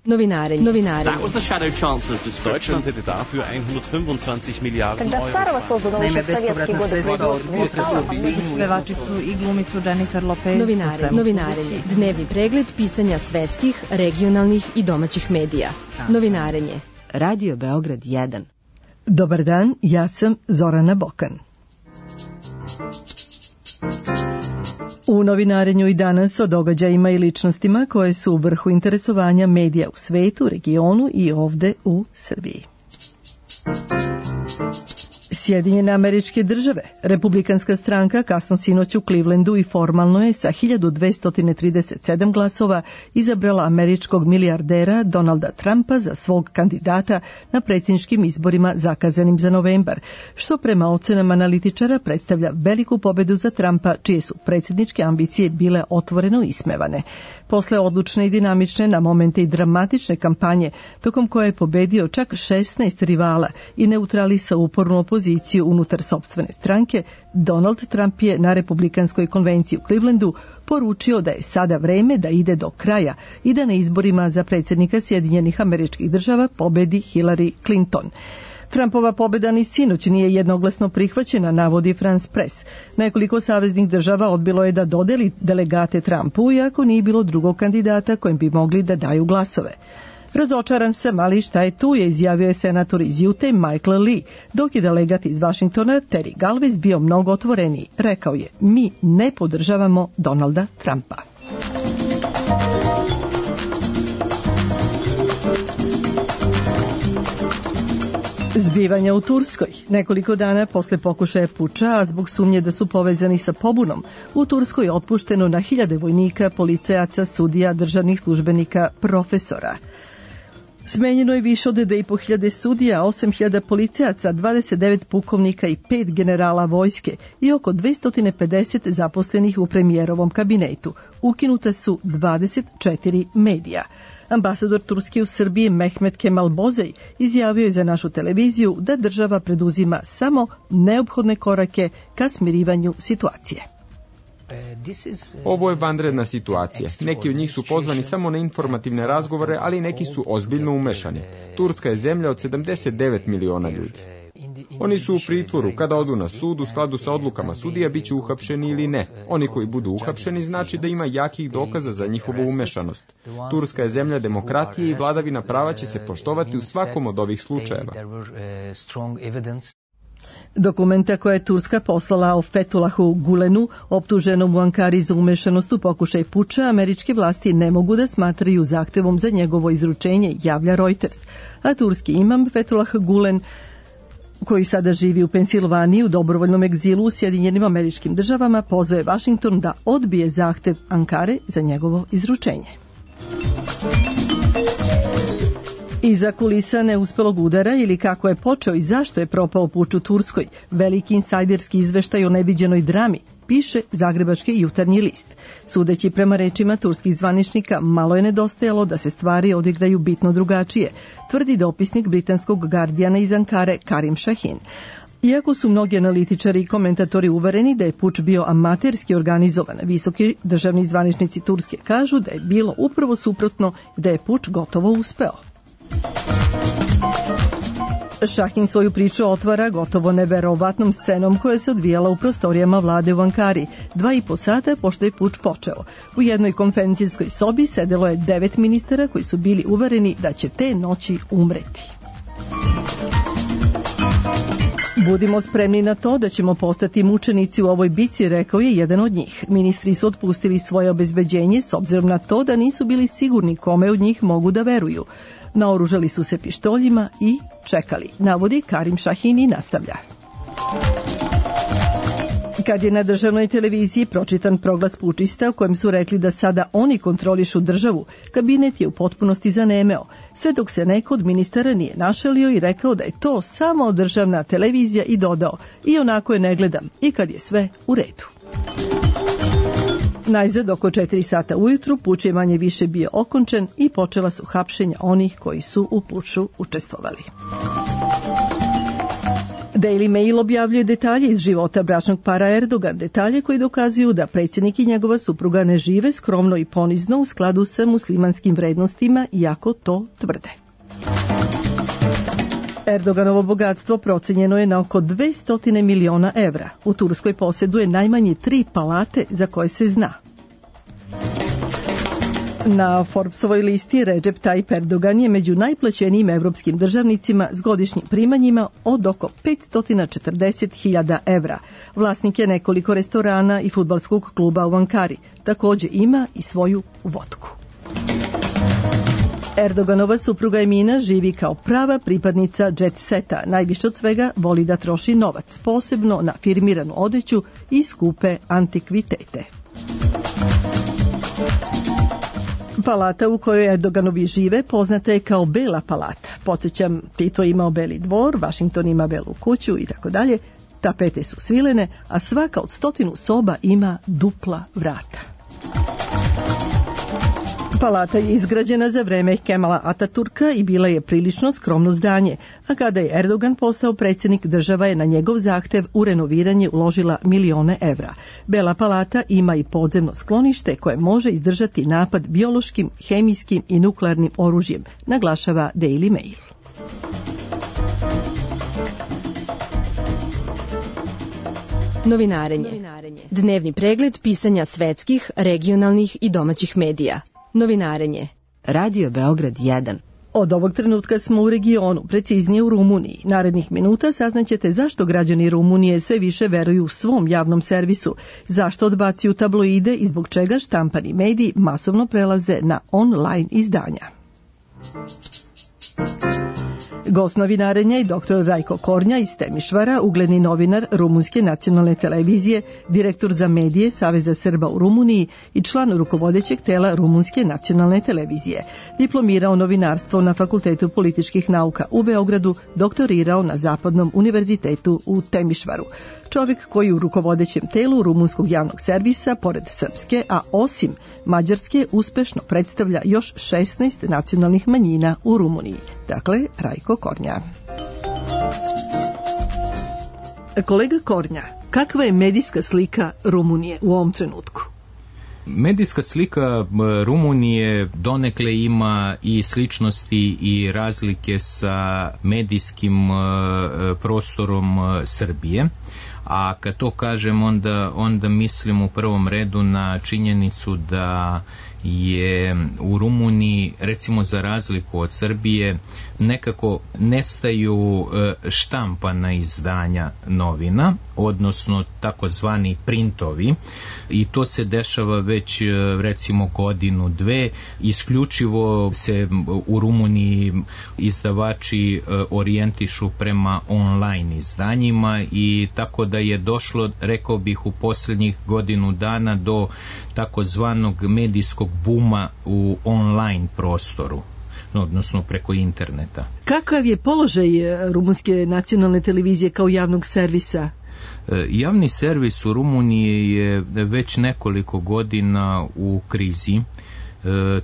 Novinarenje. That was the shadow chancellor's discretion. Deutschland hätte dafür 125 Milijarden Euro. Naime, bespovratna sredstva od potresa u svih pevačicu i glumicu Jennifer Lopez. Novinarenje. Dnevni pregled pisanja svetskih, regionalnih i domaćih medija. Novinarenje. Radio Beograd 1. Dobar dan, ja sam Zorana Bokan. U novinarenju i danas o događajima i ličnostima koje su u vrhu interesovanja medija u svetu, regionu i ovde u Srbiji. Sjedinjene Američke Države. Republikanska stranka kasno sinoć u Clevelandu i formalno je sa 1237 glasova izabrala američkog milijardera Donalda Trumpa za svog kandidata na predsjedničkim izborima zakazanim za novembar, što prema ocenama analitičara predstavlja veliku pobedu za Trumpa, čije su predsjedničke ambicije bile otvoreno ismevane. Posle odlučne i dinamične, na momente i dramatične kampanje, tokom koje je pobedio čak 16 rivala i neutralisao upornu opoziciju unutar sopstvene stranke, Donald Trump je na Republikanskoj konvenciji u Clevelandu poručio da je sada vreme da ide do kraja i da na izborima za predsjednika Sjedinjenih Američkih Država pobedi Hillary Clinton. Trumpova pobeda ni sinoć nije jednoglasno prihvaćena, navodi France Press. Nekoliko saveznih država odbilo je da dodeli delegate Trumpu, iako nije bilo drugog kandidata kojem bi mogli da daju glasove. Razočaran sam, ali šta je tu, je izjavio je senator iz Utah Michael Lee, dok je delegat iz Washingtona Terry Galvez bio mnogo otvoreniji. Rekao je, mi ne podržavamo Donalda Trumpa. Zbivanja u Turskoj. Nekoliko dana posle pokušaja puča, a zbog sumnje da su povezani sa pobunom, u Turskoj je otpušteno na hiljade vojnika, policajaca, sudija, državnih službenika, profesora. Smenjeno je više od 2.500 sudija, 8.000 policajaca, 29 pukovnika i 5 generala vojske i oko 250 zaposlenih u premijerovom kabinetu. Ukinuta su 24 medija. Ambasador Turske u Srbiji Mehmet Kemal Bozej izjavio je za našu televiziju da država preduzima samo neophodne korake ka smirivanju situacije. Ovo je vanredna situacija. Neki od njih su pozvani samo na informativne razgovore, ali neki su ozbiljno umešani. Turska je zemlja od 79 miliona ljudi. Oni su u pritvoru. Kada odu na sud, u skladu sa odlukama sudija, bit će uhapšeni ili ne. Oni koji budu uhapšeni znači da ima jakih dokaza za njihovu umešanost. Turska je zemlja demokratije i vladavina prava će se poštovati u svakom od ovih slučajeva. Dokumenta koje je Turska poslala o Fethulahu Gulenu, optuženom u Ankari za umešanost u pokušaj puča, američke vlasti ne mogu da smatraju zahtevom za njegovo izručenje, javlja Reuters. A turski imam Fethullah Gulen, koji sada živi u Pensilvaniji u dobrovoljnom egzilu u Sjedinjenim Američkim Državama, pozvao je Washington da odbije zahtev Ankare za njegovo izručenje. Iza kulisa neuspelog udara ili kako je počeo i zašto je propao puč u Turskoj, veliki insajderski izveštaj o neviđenoj drami, piše Zagrebački jutarnji list. Sudeći prema rečima turskih zvaničnika, malo je nedostajalo da se stvari odigraju bitno drugačije, tvrdi dopisnik britanskog Guardiana iz Ankare Karim Shahin. Iako su mnogi analitičari i komentatori uvereni da je puč bio amaterski organizovan, visoki državni zvaničnici Turske kažu da je bilo upravo suprotno i da je puč gotovo uspeo. Shahin svoju priču otvara gotovo neverovatnom scenom koja se odvijala u prostorijama vlade u Ankari, 2,5 sata pošto je puč počeo. U jednoj konferencijskoj sobi sedelo je 9 ministara koji su bili uvereni da će te noći umreti. Budimo spremni na to da ćemo postati mučenici u ovoj bici, rekao je jedan od njih. Ministri su otpustili svoje obezbeđenje s obzirom na to da nisu bili sigurni kome od njih mogu da veruju. Naoružali su se pištoljima i čekali, navodi Karim Shahin i nastavlja. Kad je na državnoj televiziji pročitan proglas pučista u kojem su rekli da sada oni kontrolišu državu, kabinet je u potpunosti zanemeo, sve dok se neko od ministara nije našalio i rekao da je to samo državna televizija i dodao, i onako je ne gledam, i kad je sve u redu. Najzad oko 4 sata ujutru puč je manje više bio okončen i počela su hapšenja onih koji su u puču učestvovali. Daily Mail objavljuje detalje iz života bračnog para Erdogan, detalje koji dokazuju da predsjednik i njegova supruga ne žive skromno i ponizno u skladu sa muslimanskim vrednostima, iako to tvrde. Erdoganovo bogatstvo procenjeno je na oko 200 miliona evra. U Turskoj posjeduje najmanje 3 palate za koje se zna. Na Forbesovoj listi Recep Tayyip Erdogan je među najplaćenijim evropskim državnicima s godišnjim primanjima od oko 540.000 evra. Vlasnik je nekoliko restorana i fudbalskog kluba u Ankari. Također ima i svoju vodku. Erdoganova supruga Emina živi kao prava pripadnica jet seta. Najviše od svega voli da troši novac, posebno na firmiranu odeću i skupe antikvitete. Palata u kojoj Erdoganovi žive poznata je kao Bela palata. Podsjećam, Tito imao Beli dvor, Washington ima Belu kuću i tako dalje. Tapete su svilene, a svaka od 100 soba ima dupla vrata. Palata je izgrađena za vreme Kemala Ataturka i bila je prilično skromno zdanje, a kada je Erdogan postao predsjednik, država je na njegov zahtev u renoviranje uložila milione evra. Bela palata ima i podzemno sklonište koje može izdržati napad biološkim, hemijskim i nuklearnim oružjem, naglašava Daily Mail. Novinarenje. Dnevni pregled pisanja svetskih, regionalnih i domaćih medija. Novinarenje. Radio Beograd 1. Od ovog trenutka smo u regionu, preciznije u Rumuniji. Narednih minuta saznaćete zašto građani Rumunije sve više veruju svom javnom servisu, zašto odbacuju tabloide i zbog čega štampani mediji masovno prelaze na online izdanja. Gost novinarenja je dr. Rajko Kornja iz Temišvara, ugledni novinar Rumunske nacionalne televizije, direktor za medije Saveza Srba u Rumuniji i član rukovodećeg tela Rumunske nacionalne televizije. Diplomirao novinarstvo na Fakultetu političkih nauka u Beogradu, doktorirao na Zapadnom univerzitetu u Temišvaru. Čovjek koji u rukovodećem telu Rumunskog javnog servisa, pored srpske, a osim mađarske, uspešno predstavlja još 16 nacionalnih manjina u Rumuniji. Dakle, Rajko Kornja. Kolega Kornja, kakva je medijska slika Rumunije u ovom trenutku? Medijska slika Rumunije donekle ima i sličnosti i razlike sa medijskim prostorom Srbije. A kad to kažem, onda mislim u prvom redu na činjenicu da je u Rumuniji, recimo za razliku od Srbije, nekako nestaju štampana izdanja novina, odnosno takozvani printovi, i to se dešava već recimo godinu, dve. Isključivo se u Rumuniji izdavači orijentišu prema online izdanjima, i tako da je došlo, rekao bih, u posljednjih godinu dana do takozvanog medijskog buma u online prostoru, odnosno preko interneta. Kakav je položaj Rumunske nacionalne televizije kao javnog servisa? Javni servis u Rumuniji je već nekoliko godina u krizi.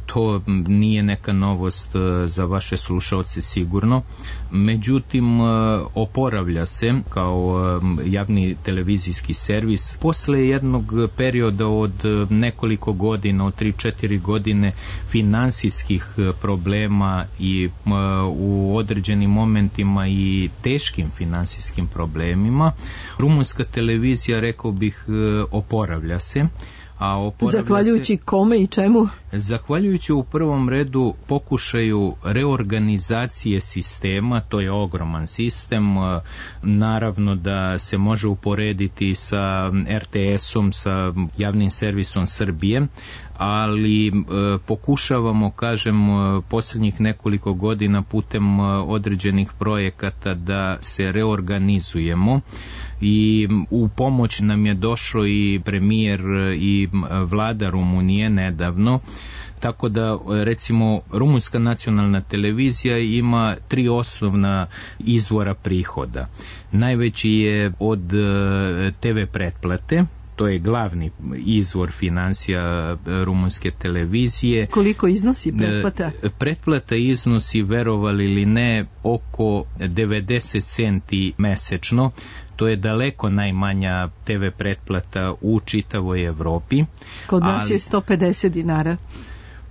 To nije neka novost za vaše slušaoce sigurno, međutim oporavlja se kao javni televizijski servis posle jednog perioda od nekoliko godina, od 3-4 godine finansijskih problema i u određenim momentima i teškim finansijskim problemima. Rumunska televizija, rekao bih, oporavlja se. Zahvaljujući kome i čemu? Zahvaljujući u prvom redu pokušaju reorganizacije sistema, to je ogroman sistem, naravno da se može uporediti sa RTS-om, sa javnim servisom Srbije, ali pokušavamo, kažem, posljednjih nekoliko godina putem određenih projekata da se reorganizujemo, i u pomoć nam je došao i premijer i vlada Rumunije nedavno. Tako da, recimo, Rumunska nacionalna televizija ima 3 osnovna izvora prihoda. Najveći je od TV pretplate, to je glavni izvor financija rumunske televizije. Koliko iznosi pretplata? Pretplata iznosi, verovali ili ne, oko 90 centi mesečno. To je daleko najmanja TV pretplata u čitavoj Evropi. Kod nas je 150 dinara.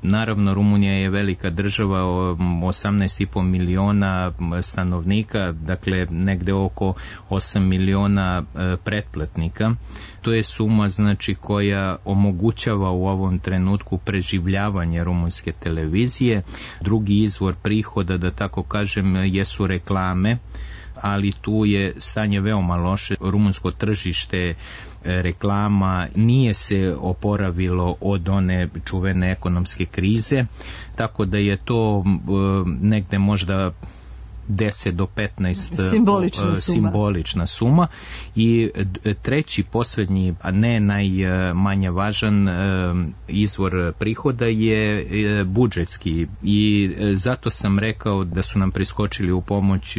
Naravno, Rumunija je velika država, 18,5 miliona stanovnika, dakle negde oko 8 miliona pretplatnika. To je suma, znači, koja omogućava u ovom trenutku preživljavanje rumunske televizije. Drugi izvor prihoda, da tako kažem, jesu reklame, ali tu je stanje veoma loše. Rumunsko tržište reklama nije se oporavilo od one čuvene ekonomske krize, tako da je to negde možda 10 do 15 simbolična suma. I treći, posljednji, a ne najmanje važan izvor prihoda je budžetski, i zato sam rekao da su nam priskočili u pomoć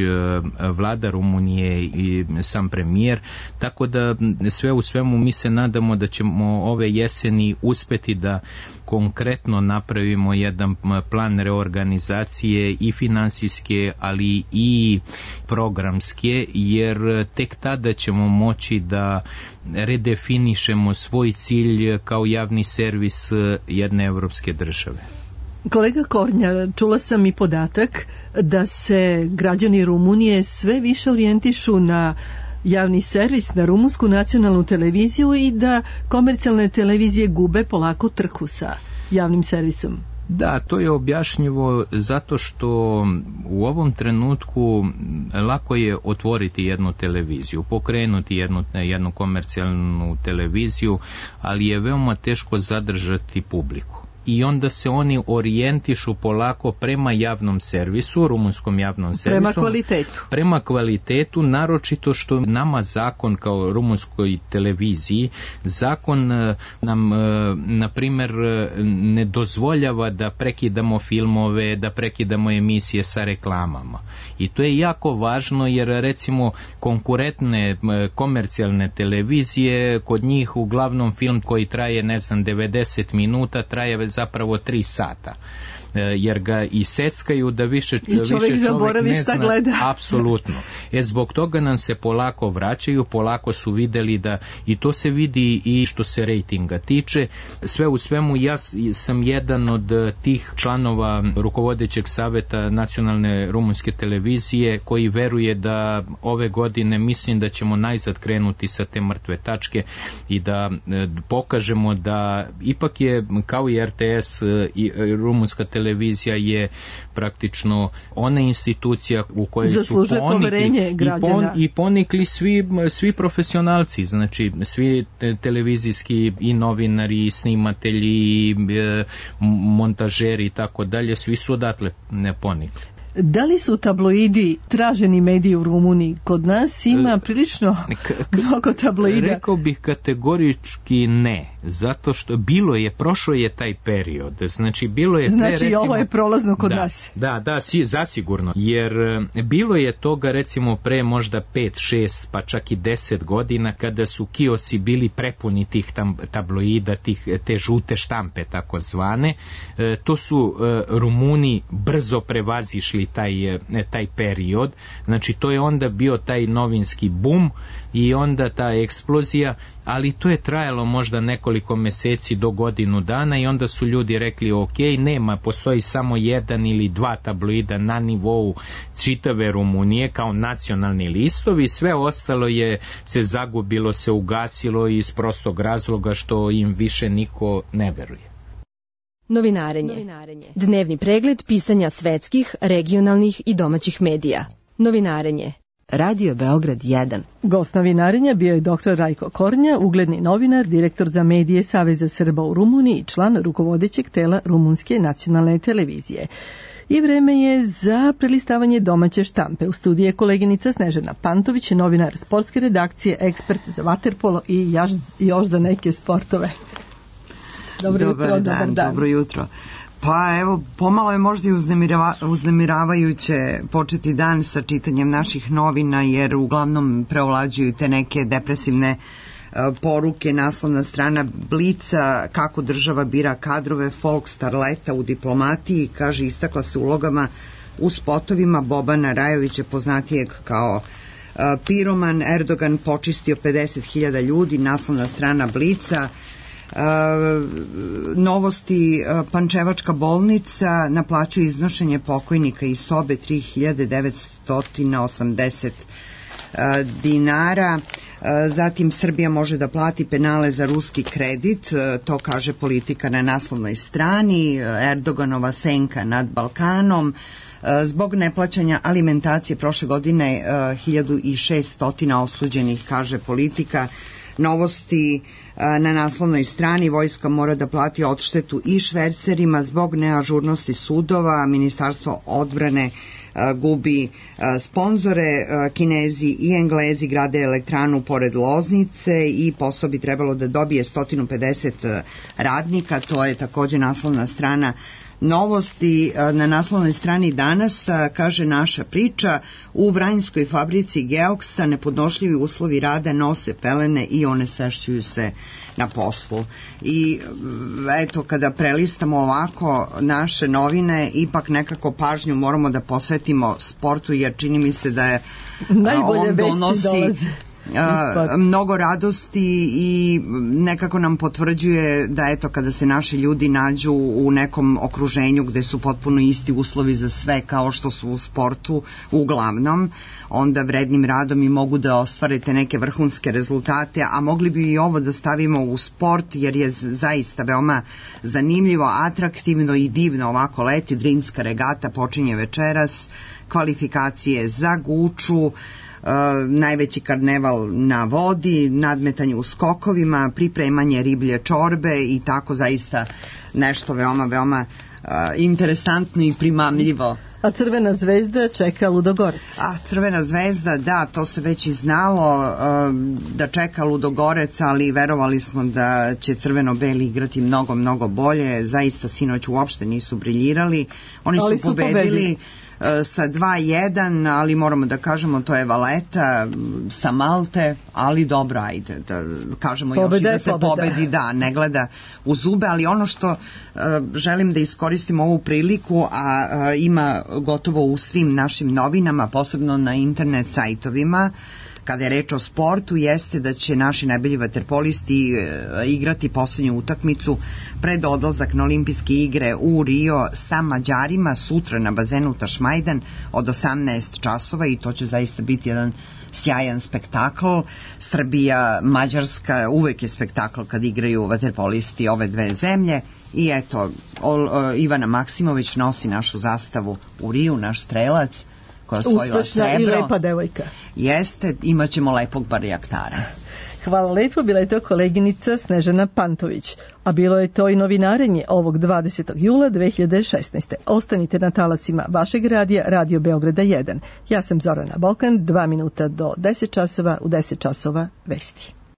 vlada Rumunije i sam premijer, tako da sve u svemu mi se nadamo da ćemo ove jeseni uspeti da konkretno napravimo jedan plan reorganizacije i finansijske, ali i programske, jer tek tada ćemo moći da redefinišemo svoj cilj kao javni servis jedne evropske države. Kolega Kornja, čula sam i podatak da se građani Rumunije sve više orijentišu na javni servis, na rumunsku nacionalnu televiziju i da komercijalne televizije gube polako trku sa javnim servisom. Da, to je objašnjivo zato što u ovom trenutku lako je otvoriti jednu televiziju, pokrenuti jednu komercijalnu televiziju, ali je veoma teško zadržati publiku. I onda se oni orijentišu polako prema javnom servisu, rumunskom javnom servisu. Prema kvalitetu, naročito što nama zakon kao rumunskoj televiziji, zakon nam, na primjer, ne dozvoljava da prekidamo filmove, da prekidamo emisije sa reklamama. I to je jako važno, jer recimo konkurentne komercijalne televizije, kod njih uglavnom film koji traje, 90 minuta, traje zapravo 3 sata. Jer ga i seckaju da više čovjek ne zna. Gleda. Apsolutno. Zbog toga nam se polako vraćaju, polako su videli da, i to se vidi i što se rejtinga tiče. Sve u svemu, ja sam jedan od tih članova rukovodećeg saveta nacionalne rumunske televizije koji veruje da ove godine, mislim da ćemo najzad krenuti sa te mrtve tačke i da pokažemo da ipak je, kao i RTS, i rumunska televizija je praktično ona institucija u kojoj su ponikli svi profesionalci, znači svi televizijski i novinari, i snimatelji, i montažeri i tako dalje, svi su odatle ponikli. Da li su tabloidi traženi mediji u Rumuniji? Kod nas ima prilično mnogo tabloida. Rekao bih kategorički ne, zato što prošao je taj period. Znači, bilo je recimo, ovo je prolazno kod nas. Da, zasigurno. Jer bilo je toga, recimo, pre možda 5, 6, pa čak i 10 godina, kada su kiosi bili prepuni tih tabloida, te žute štampe, tako zvane. To su Rumuni brzo prevazišli taj period, znači to je onda bio taj novinski bum i onda ta eksplozija, ali to je trajalo možda nekoliko meseci do godinu dana i onda su ljudi rekli ok, postoji samo 1 ili 2 tabloida na nivou čitave Rumunije kao nacionalni listovi, sve ostalo se zagubilo, se ugasilo iz prostog razloga što im više niko ne veruje. Novinarenje. Dnevni pregled pisanja svetskih, regionalnih i domaćih medija. Novinarenje. Radio Beograd 1. Gost novinarenja bio je dr. Rajko Kornja, ugledni novinar, direktor za medije Saveza Srba u Rumuniji i član rukovodećeg tela Rumunske nacionalne televizije. I vreme je za prelistavanje domaće štampe. U studiju je koleginica Snežana Pantović, novinar sportske redakcije, ekspert za vaterpolo i još za neke sportove. Dobar dan. Dobro jutro. Pa evo, pomalo je možda i uznemiravajuće početi dan sa čitanjem naših novina, jer uglavnom preovlađuju te neke depresivne poruke, naslovna strana Blica, kako država bira kadrove, folk starleta u diplomatiji, kaže, istakla se ulogama u spotovima Bobana Rajovića, poznatijeg kao piroman. Erdogan počistio 50.000 ljudi, naslovna strana Blica. Novosti, Pančevačka bolnica naplaćuje iznošenje pokojnika iz sobe 3.980 dinara. Zatim Srbija može da plati penale za ruski kredit, to kaže Politika na naslovnoj strani. Erdoganova senka nad Balkanom. Zbog neplaćanja alimentacije prošle godine 1600 osuđenih, kaže Politika. Novosti na naslovnoj strani, vojska mora da plati odštetu i švercerima zbog neažurnosti sudova, Ministarstvo odbrane gubi sponzore, Kinezi i Englezi grade elektranu pored Loznice i posao bi trebalo da dobije 150 radnika, to je takođe naslovna strana Novosti. Na naslovnoj strani Danas kaže naša priča, u Vranjskoj fabrici Geoksa nepodnošljivi uslovi rada, nose pelene i one sešćuju se na poslu. I eto, kada prelistamo ovako naše novine, ipak nekako pažnju moramo da posvetimo sportu, jer čini mi se da je on donosi mnogo radosti i nekako nam potvrđuje da eto, kada se naši ljudi nađu u nekom okruženju gde su potpuno isti uslovi za sve kao što su u sportu uglavnom, onda vrednim radom i mogu da ostvarite neke vrhunske rezultate, a mogli bi i ovo da stavimo u sport, jer je zaista veoma zanimljivo, atraktivno i divno ovako leti. Drinska regata počinje večeras, kvalifikacije za Guču, najveći karneval na vodi, nadmetanje u skokovima, pripremanje riblje čorbe i tako, zaista nešto veoma interesantno i primamljivo. A Crvena zvezda čeka Ludogorec. A Crvena zvezda, da, to se već i znalo da čeka Ludogorec, ali verovali smo da će crveno-beli igrati mnogo bolje. Zaista sinoć uopšte nisu briljirali. Oni su pobedili sa 2-1, ali moramo da kažemo to je Valeta sa Malte, ali dobro, ajde da kažemo još i da se pobedi, da, ne gleda u zube, ali ono što želim da iskoristim ovu priliku, a ima gotovo u svim našim novinama, posebno na internet sajtovima, kada je reč o sportu, jeste da će naši najbolji vaterpolisti igrati poslednju utakmicu pred odlazak na olimpijske igre u Rio sa Mađarima sutra na bazenu Tašmajdan od 18 časova i to će zaista biti jedan sjajan spektakl. Srbija, Mađarska, uvek je spektakl kad igraju vaterpolisti ove dve zemlje i eto, Ivana Maksimović nosi našu zastavu u Riju, naš strelac, koja osvojila srebro. Uspešna i lepa devojka. Jeste, imat ćemo lepog barjaktara. Hvala lepo, bila je to koleginica Snežana Pantović, a bilo je to i novinarenje ovog 20. jula 2016. Ostanite na talasima vašeg radija, Radio Beograda 1. Ja sam Zorana Bokan, 2 minuta do 10 časova, u 10 časova vesti.